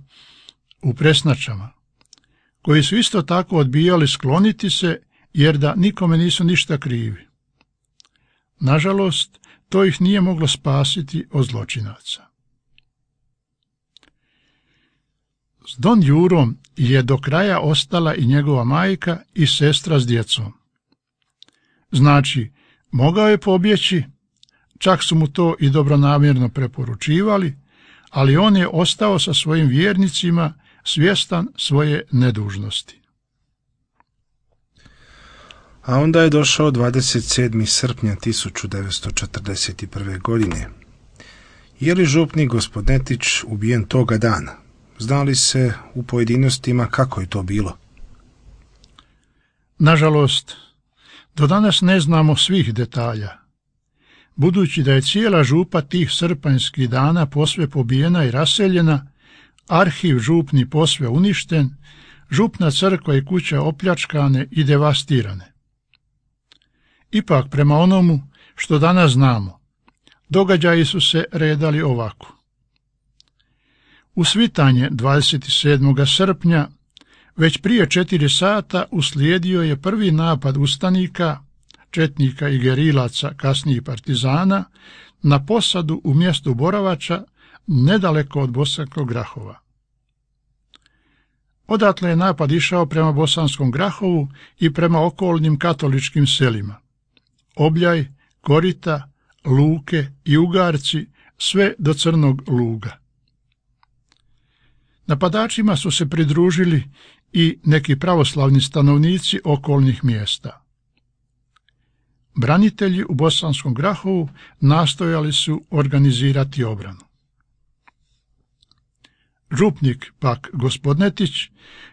u Presnačama, koji su isto tako odbijali skloniti se jer da nikome nisu ništa krivi. Nažalost, to ih nije moglo spasiti od zločinaca. S Don Jurom je do kraja ostala i njegova majka i sestra s djecom. Znači, mogao je pobjeći, čak su mu to i dobronamjerno preporučivali, ali on je ostao sa svojim vjernicima svjestan svoje nedužnosti. A onda je došao dvadeset sedmog srpnja tisuću devetsto četrdeset prve. godine. Je li župnik Gospodnetić ubijen toga dana? Zna li se u pojedinostima kako je to bilo? Nažalost, do danas ne znamo svih detalja. Budući da je cijela župa tih srpanjskih dana posve pobijena i raseljena, arhiv župni posve uništen, župna crkva i kuće opljačkane i devastirane. Ipak, prema onomu što danas znamo, događaji su se redali ovako. U svitanje dvadeset sedmog srpnja, već prije četiri sata, uslijedio je prvi napad ustanika, četnika i gerilaca, kasnijih partizana, na posadu u mjestu Boravača, nedaleko od Bosanskog Grahova. Odatle je napad išao prema Bosanskom Grahovu i prema okolnim katoličkim selima. Obljaj, Korita, Luke i Ugarci, sve do Crnog Luga. Napadačima su se pridružili i neki pravoslavni stanovnici okolnih mjesta. Branitelji u Bosanskom Grahovu nastojali su organizirati obranu. Župnik, pak Gospodnetić,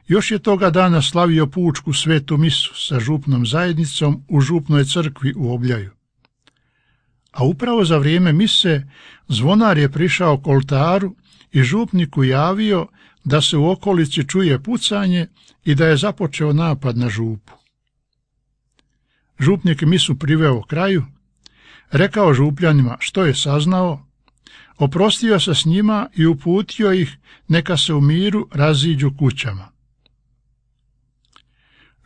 još je toga dana slavio pučku svetu misu sa župnom zajednicom u župnoj crkvi u Obljaju. A upravo za vrijeme mise zvonar je prišao k oltaru i župniku javio da se u okolici čuje pucanje i da je započeo napad na župu. Župnik misu priveo kraju, rekao župljanima što je saznao, oprostio se s njima i uputio ih neka se u miru raziđu kućama.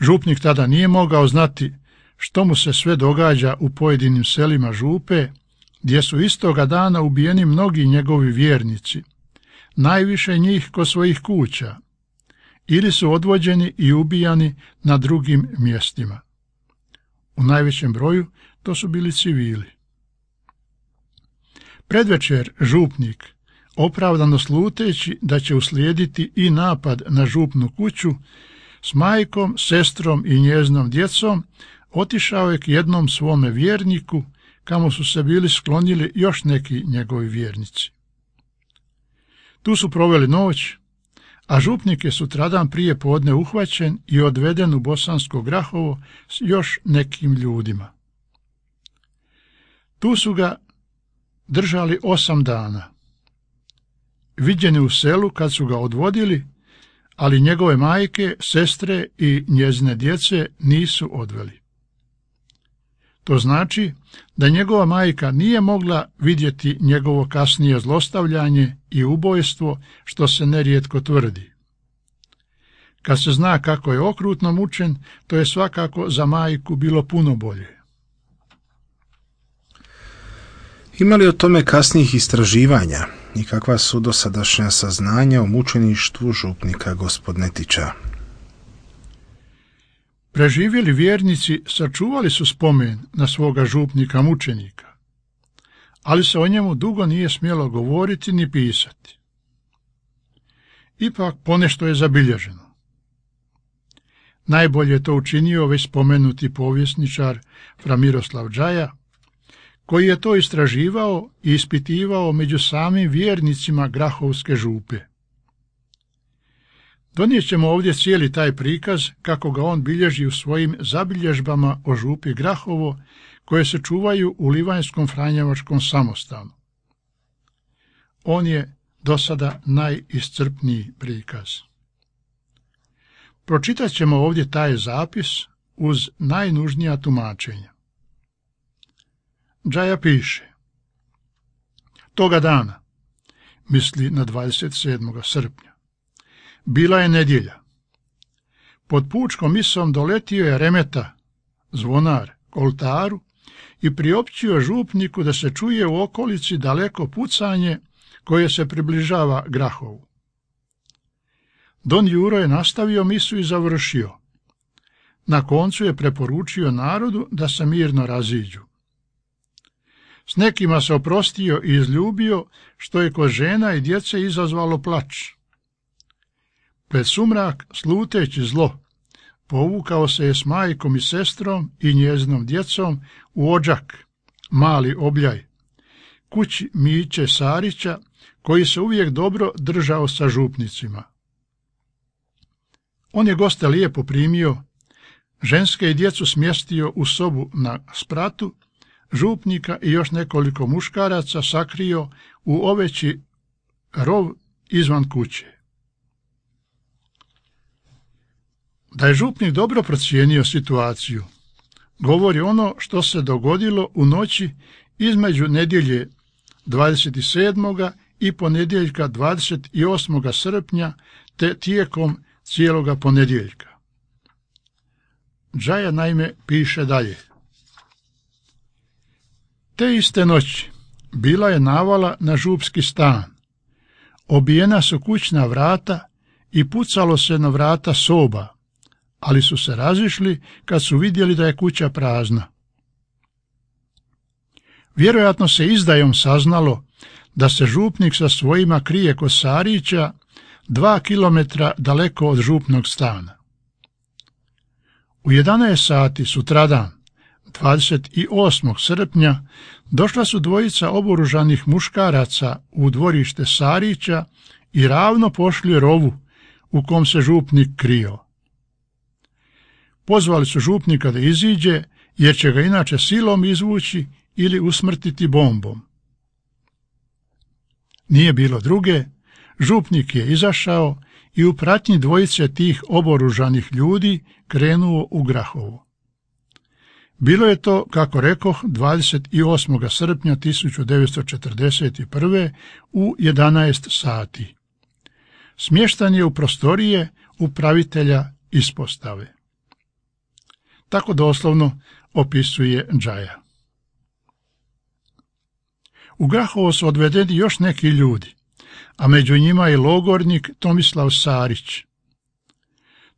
Župnik tada nije mogao znati što mu se sve događa u pojedinim selima župe, gdje su istoga dana ubijeni mnogi njegovi vjernici, najviše njih kod svojih kuća, ili su odvođeni i ubijani na drugim mjestima. U najvećem broju to su bili civili. Predvečer župnik, opravdano sluteći da će uslijediti i napad na župnu kuću, s majkom, sestrom i njeznom djecom otišao je k jednom svome vjerniku, kamo su se bili sklonili još neki njegovi vjernici. Tu su proveli noć, a župnik je sutradan prije podne uhvaćen i odveden u Bosansko Grahovo s još nekim ljudima. Tu su ga držali osam dana. Viđen je u selu kad su ga odvodili, ali njegove majke, sestre i njezine djece nisu odveli. To znači da njegova majka nije mogla vidjeti njegovo kasnije zlostavljanje i ubojstvo, što se nerijetko tvrdi. Kad se zna kako je okrutno mučen, to je svakako za majku bilo puno bolje. Ima li o tome kasnijih istraživanja i kakva su dosadašnja saznanja o mučeništvu župnika Gospodnetića? Preživjeli vjernici sačuvali su spomen na svoga župnika mučenika, ali se o njemu dugo nije smjelo govoriti ni pisati. Ipak ponešto je zabilježeno. Najbolje je to učinio već spomenuti povjesničar fra Miroslav Džaja, koji je to istraživao i ispitivao među samim vjernicima Grahovske župe. Donijet ćemo ovdje cijeli taj prikaz kako ga on bilježi u svojim zabilježbama o župi Grahovo, koje se čuvaju u Livanjskom franjevačkom samostanu. On je do sada najiscrpniji prikaz. Pročitat ćemo ovdje taj zapis uz najnužnija tumačenja. Džaja piše: toga dana, misli na dvadeset sedmog srpnja, bila je nedjelja. Pod pučkom misom doletio je remeta, zvonar, k oltaru i priopćio župniku da se čuje u okolici daleko pucanje koje se približava Grahovu. Don Juro je nastavio misu i završio. Na koncu je preporučio narodu da se mirno raziđu. S nekima se oprostio i izljubio, što je kod žena i djece izazvalo plač. Pred sumrak, sluteći zlo, povukao se je s majkom i sestrom i njezinom djecom u Odžak, mali Obljaj, kući Miće Sarića, koji se uvijek dobro držao sa župnicima. On je goste lijepo primio, ženske i djecu smjestio u sobu na spratu, župnika i još nekoliko muškaraca sakrio u oveći rov izvan kuće. Da je župnik dobro procijenio situaciju, govori ono što se dogodilo u noći između nedjelje dvadeset sedmog i ponedjeljka dvadeset osmog srpnja te tijekom cijeloga ponedjeljka. Džaja naime piše dalje: te iste noći bila je navala na župski stan, obijena su kućna vrata i pucalo se na vrata soba, ali su se razišli kad su vidjeli da je kuća prazna. Vjerojatno se izdajom saznalo da se župnik sa svojima krije kod Sarića, dva kilometra daleko od župnog stana. U jedanaest sati sutradan, dvadeset osmog srpnja, došla su dvojica oboružanih muškaraca u dvorište Sarića i ravno pošli rovu u kom se župnik krio. Pozvali su župnika da iziđe, jer će ga inače silom izvući ili usmrtiti bombom. Nije bilo druge, župnik je izašao i u pratnji dvojice tih oboružanih ljudi krenuo u Grahovo. Bilo je to, kako rekoh, dvadeset osmog srpnja tisuću devetsto četrdeset prve u jedanaest sati. Smještan je u prostorije upravitelja ispostave. Tako doslovno opisuje Džaja. U Grahovo su odvedeni još neki ljudi, a među njima i logornik Tomislav Sarić.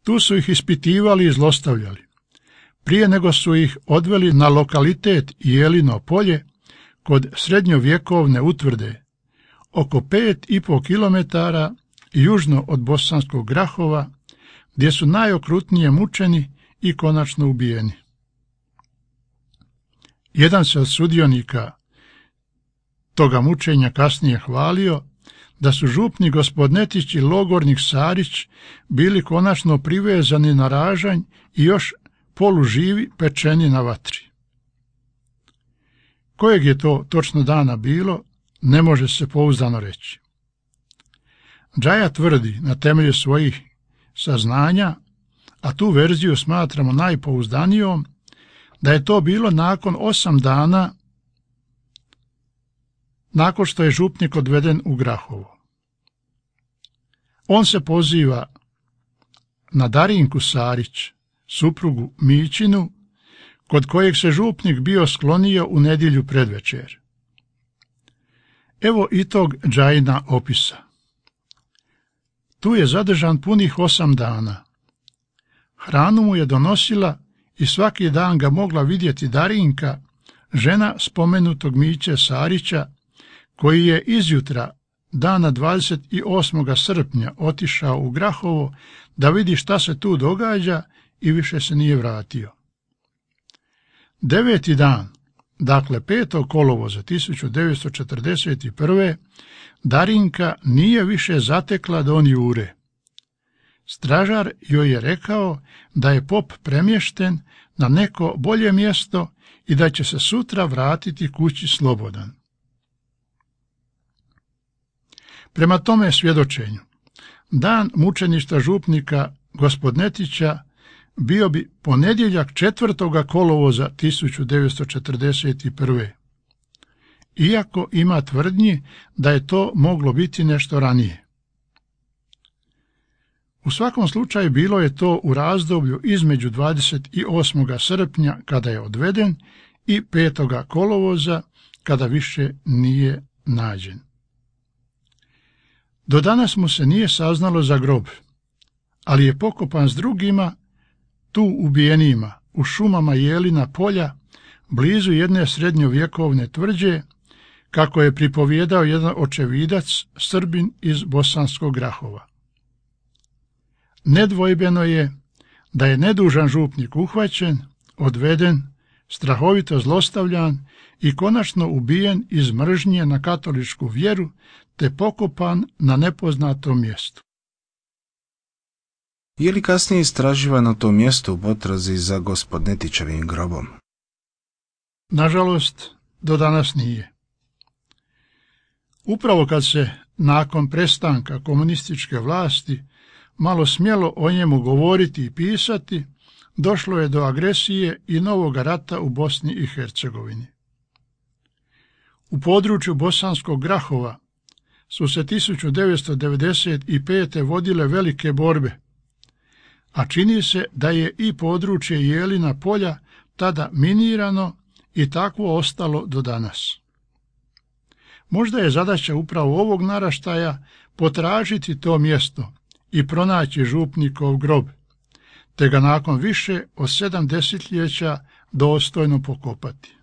Tu su ih ispitivali i zlostavljali. Prije nego su ih odveli na lokalitet Jelino polje kod srednjovjekovne utvrde, oko pet i pol kilometara južno od bosanskog Grahova, gdje su najokrutnije mučeni i konačno ubijeni. Jedan se od sudionika toga mučenja kasnije hvalio da su župnik Gospodnetić i logornik Sarić bili konačno privezani na ražanj i još poluživi pečeni na vatri. Kojeg je to točno dana bilo, ne može se pouzdano reći. Džaja tvrdi na temelju svojih saznanja, a tu verziju smatramo najpouzdanijom, da je to bilo nakon osam dana nakon što je župnik odveden u Grahovo. On se poziva na Darinku Sarić, suprugu Mićinu, kod kojeg se župnik bio sklonio u nedjelju predvečer. Evo i tog Džajina opisa. Tu je zadržan punih osam dana. Hranu mu je donosila i svaki dan ga mogla vidjeti Darinka, žena spomenutog Miće Sarića, koji je izjutra dana dvadeset osmog srpnja otišao u Grahovo da vidi šta se tu događa i više se nije vratio. Deveti dan, dakle petog kolovoza tisuću devetsto četrdeset prve, Darinka nije više zatekla Don Jure. stražar joj je rekao da je pop premješten na neko bolje mjesto i da će se sutra vratiti kući slobodan. Prema tome svjedočenju, dan mučeništva župnika Gospodnetića bio bi ponedjeljak četvrtoga kolovoza tisuću devetsto četrdeset prve. Iako ima tvrdnji da je to moglo biti nešto ranije. U svakom slučaju bilo je to u razdoblju između dvadeset osmog srpnja kada je odveden i petoga kolovoza kada više nije nađen. Do danas mu se nije saznalo za grob, ali je pokopan s drugima tu ubijenima u šumama Jelina polja blizu jedne srednjovjekovne tvrđe, kako je pripovjedao jedan očevidac Srbin iz Bosanskog Grahova. Nedvojbeno je da je nedužan župnik uhvaćen, odveden, strahovito zlostavljan i konačno ubijen iz mržnje na katoličku vjeru te pokopan na nepoznatom mjestu. Je li kasnije istraživan na tom mjestu u potrazi za Gospodnetićevim grobom? Nažalost, do danas nije. Upravo kad se nakon prestanka komunističke vlasti malo smjelo o njemu govoriti i pisati, došlo je do agresije i novog rata u Bosni i Hercegovini. U području Bosanskog Grahova su se tisuću devetsto devedeset pete. vodile velike borbe, a čini se da je i područje Jelina polja tada minirano i takvo ostalo do danas. Možda je zadaća upravo ovog naraštaja potražiti to mjesto i pronaći župnikov grob, te ga nakon više od sedam desetljeća dostojno pokopati.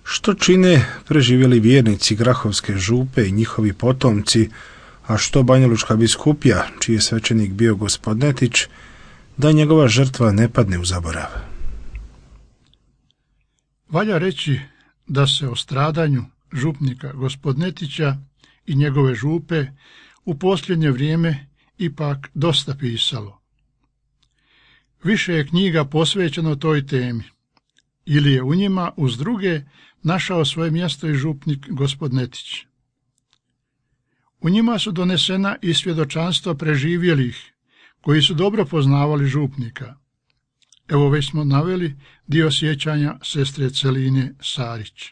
Što čine preživjeli vjernici Grahovske župe i njihovi potomci, a što Banjalučka biskupija, čiji je svećenik bio Gospodnetić, da njegova žrtva ne padne u zaborav? Valja reći da se o stradanju župnika Gospodnetića i njegove župe u posljednje vrijeme ipak dosta pisalo. Više je knjiga posvećeno toj temi, ili je u njima uz druge našao svoje mjesto i župnik Gospodnetić. U njima su donesena i svjedočanstva preživjelih, koji su dobro poznavali župnika. Evo već smo naveli dio sjećanja sestre Celine Sarić.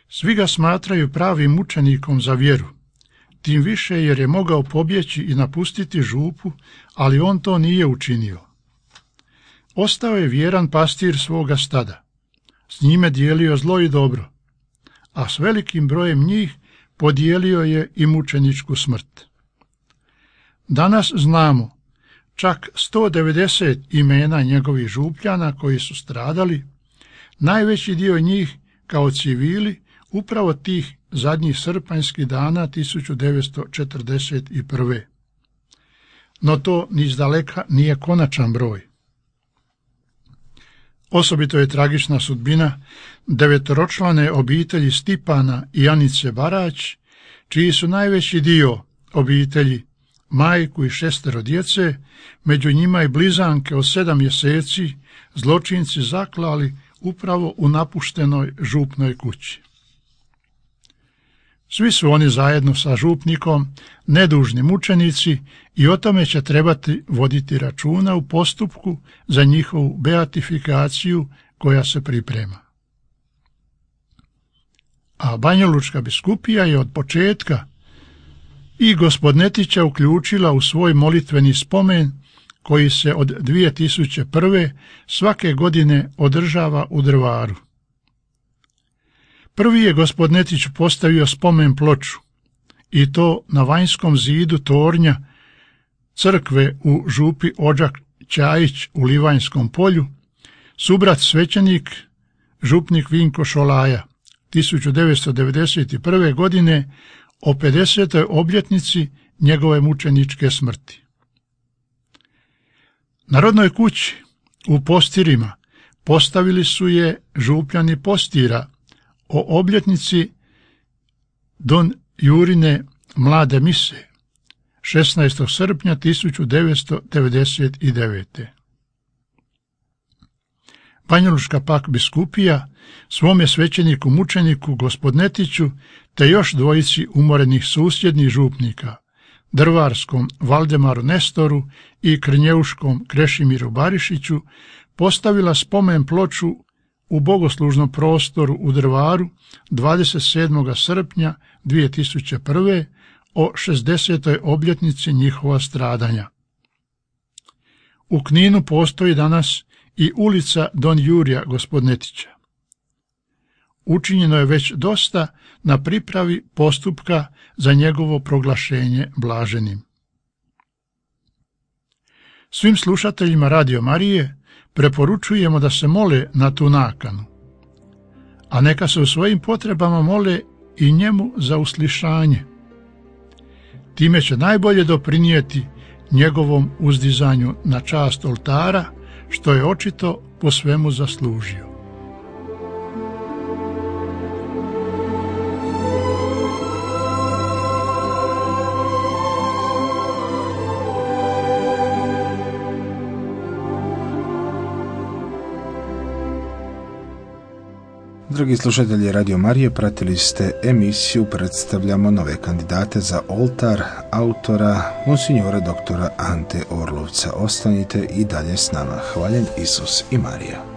Svi ga smatraju pravim mučenikom za vjeru, tim više jer je mogao pobjeći i napustiti župu, ali on to nije učinio. Ostao je vjeran pastir svoga stada, s njime dijelio zlo i dobro, a s velikim brojem njih podijelio je i mučeničku smrt. Danas znamo čak sto devedeset imena njegovih župljana koji su stradali, najveći dio njih kao civili upravo tih zadnjih srpanjskih dana tisuću devetsto četrdeset prve. No to ni izdaleka nije konačan broj. Osobito je tragična sudbina devetoročlane obitelji Stipana i Anice Barać, čiji su najveći dio obitelji, majku i šestero djece, među njima i blizanke od sedam mjeseci, zločinci zaklali upravo u napuštenoj župnoj kući. Svi su oni zajedno sa župnikom nedužni mučenici i o tome će trebati voditi računa u postupku za njihovu beatifikaciju koja se priprema. A Banjalučka biskupija je od početka i Gospodnetića uključila u svoj molitveni spomen koji se od dvije tisuće prve. svake godine održava u Drvaru. Prvi je Gospodnetić postavio spomen ploču, i to na vanjskom zidu tornja crkve u župi Odžak Ćajić u Livanjskom polju, subrat svećenik, župnik Vinko Šolaja, tisuću devetsto devedeset prve. godine o pedesetoj obljetnici njegove mučeničke smrti. Na rodnoj kući u Postirima postavili su je župljani Postira o obljetnici Don Jurine mlade mise, šesnaestog srpnja tisuću devetsto devedeset devete. Banjalučka pak biskupija svome svećeniku mučeniku Gospodnetiću te još dvojici umorenih susjednih župnika, drvarskom Valdemaru Nestoru i krnjeuškom Krešimiru Barišiću, postavila spomen ploču u bogoslužnom prostoru u Drvaru dvadeset sedmog srpnja dvije tisuće prve. o šezdesetoj obljetnici njihova stradanja. U Kninu postoji danas i ulica Don Jurija Gospodnetića. Učinjeno je već dosta na pripravi postupka za njegovo proglašenje blaženim. Svim slušateljima Radio Marije preporučujemo da se mole na tu nakanu, a neka se u svojim potrebama mole i njemu za uslišanje. Time će najbolje doprinijeti njegovom uzdizanju na čast oltara, što je očito po svemu zaslužio. Dragi slušatelji Radio Marije, pratili ste emisiju Predstavljamo nove kandidate za oltar autora monsignora doktora Ante Orlovca. Ostanite i dalje s nama. Hvaljen Isus i Marija.